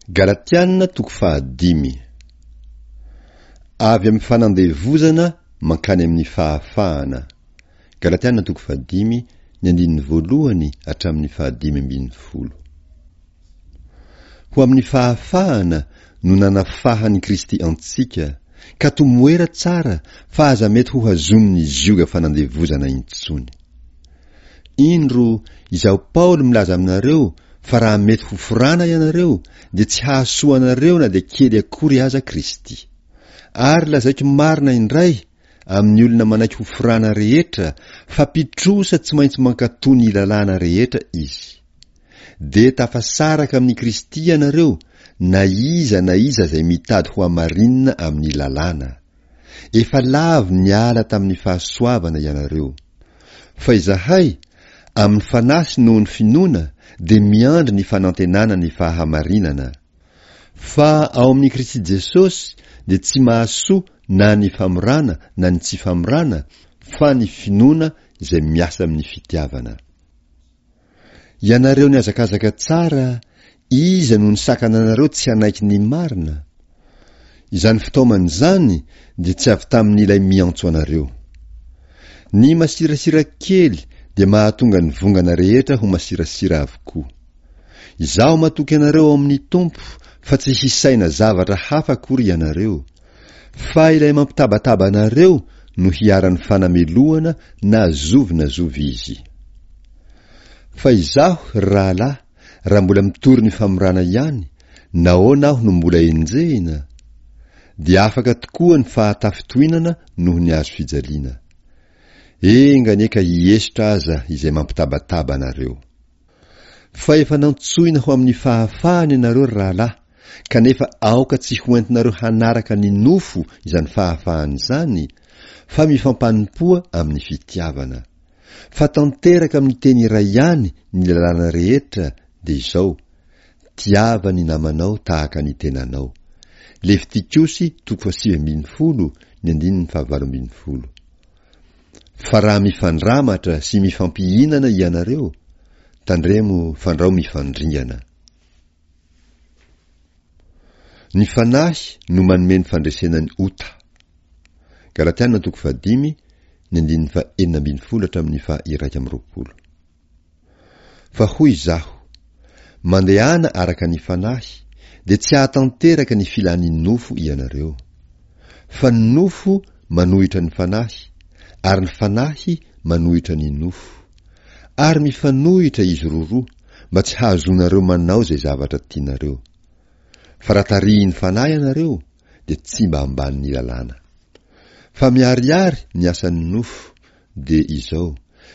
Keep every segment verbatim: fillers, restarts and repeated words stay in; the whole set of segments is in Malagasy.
Galatiana toko fahadimy. Avy amin'ny fanandevozana mankany amin'ny fahafahana. Galatiana toko fahadimy, ny andininy voalohany hatramin'ny fahadimy ambin'ny folo. Ho amin'ny fahafahana no nanafahan'i Kristy antsika, ka tomoera tsara fa aza mety ho hazonin'ny zioga fanandevozana intsony. Indro, izaho Paoly milaza aminareo fa raha mety ho forana ianareo, dia tsy hahasoa anareo na dia kely akory aza Kristy. Ary lazaiko marina indray amin'ny olona manaiky ho forana rehetra fa mpitrosa tsy maintsy mankatò ny lalàna rehetra izy. Dia tafasaraka amin'i Kristy ianareo na iza na iza izay mitady ho hamarinina amin'ny lalàna. Efa lavo niala tamin'ny fahasoavana ianareo. Fa izahay, amin'ny fanahy sy noho ny finoana, dia miandry ny fanantenana ny fahamarinana. Fa ao amin'i Kristy Jesosy dia tsy mahasoa na ny famorana na ny tsy famorana, fa ny finoana izay miasa amin'ny fitiavana. Ianareo nihazakazaka tsara, iza no nisakana anareo tsy hanaiky ny marina? Izany fitaomana izany dia tsy avy tamin'ilay miantso anareo. Ny masirasira kely dia mahatonga ny vongana rehetra ho masirasira avokoa. Izaho matoky anareo ao amin'ny Tompo fa tsy hisaina zavatra hafa akory ianareo, fa ilay mampitabataba anareo no hiharan'ny fanamelohana na zovy na zovy izy. Fa izaho, ry rahalahy, raha mbola mitory ny famorana ihany, nahoana aho no mbola enjehina? Dia afaka tokoa ny fahatafintohinana noho ny hazo fijaliana. Enga anie ka hiesotra aza izay mampitabataba anareo. Fa efa nantsoina ho amin'ny fahafahana ianareo, ry rahalahy, kanefa aoka tsy hoentinareo hanaraka ny nofo izany fahafahana izany, fa mifampanompoa amin'ny fitiavana. Fa tanteraka amin'ny teny iray ihany ny lalàna rehetra, dia izao, tiava ny namanao tahaka ny tenanao. Levitikosy toko fahasivy ambin'ny folo, ny andininy fahavalo ambin'ny folo. Fa raha mifandramatra sy mifampihinana ianareo, tandremo fandrao mifandringana. Ny fanahy no manome ny fandresena ny ota. Galatiana toko fahadimy, ny andininy fahenina ambin'ny folo hatramin'ny faha-iraika amby roapolo. Fa hoy izaho, mandehana araka ny fanahy, dia tsy hahatanteraka ny filan'ny nofo ianareo. Fa ny nofo manohitra ny fanahy, ary ny fanahy manohitra ny nofo. Ary mifanohitra izy roroa, mba tsy hahazoanareo manao izay zavatra tianareo. Fa raha tarihin'ny fanahy ianareo, dia tsy mba ambanin'ny lalàna. Fa miharihary ny asan'ny nofo, dia izao,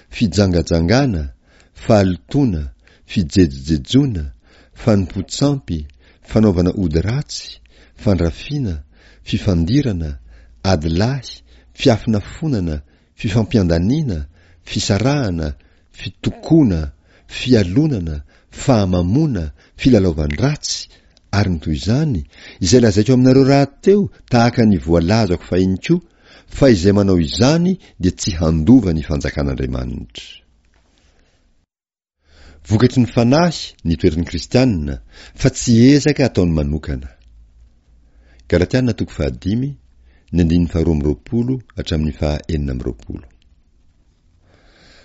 fijangajangana, fahalotoana, fijejojejoana, fanompoan-tsampy, fanaovana ody ratsy, fandrafiana, fifandirana, adilahy, fiafonafonana, fifampiandaniana, fisarahana, fitokoana, fialonana, fahamamoana, filalaovan-dratsy, ary ny toy izany, izay lazaiko aminareo rahateo tahaka ny voalazako fahiny koa, fa izay manao izany dia tsy handova ny fanjakan'Andriamanitra. Vokatry ny fanahy ny toetran'ny kristianina, fa tsy ezaka ataony manokana. Galatiana toko fahadimy, ny andininy faharoa amby roapolo hatramin'ny fahaenina amby roapolo.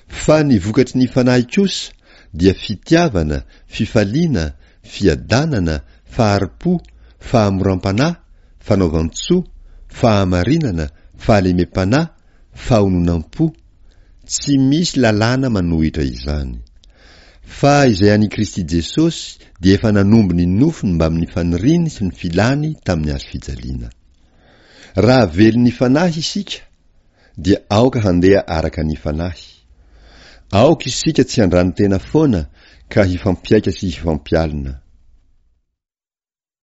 Fa ny vokatry ny fanahy kosa dia fitiavana, fifaliana, fiadanana, fahari-po, fahamoram-panahy, fanaovan-tsoa, fahamarinana, fahalemem-panahy, fahononam-po. Tsy misy lalàna manohitra izany. Fa izay an'i Kristy Jesosy dia efa nanombo ny nofony mbamin'ny faniriany sy ny filany tamin'ny hazo fijaliana. Raha velon'ny fanahy isika, dia aoka handeha araka ny fanahy. Aoka isika tsy handrano tena foana ka hifampiaika sy hifampialona.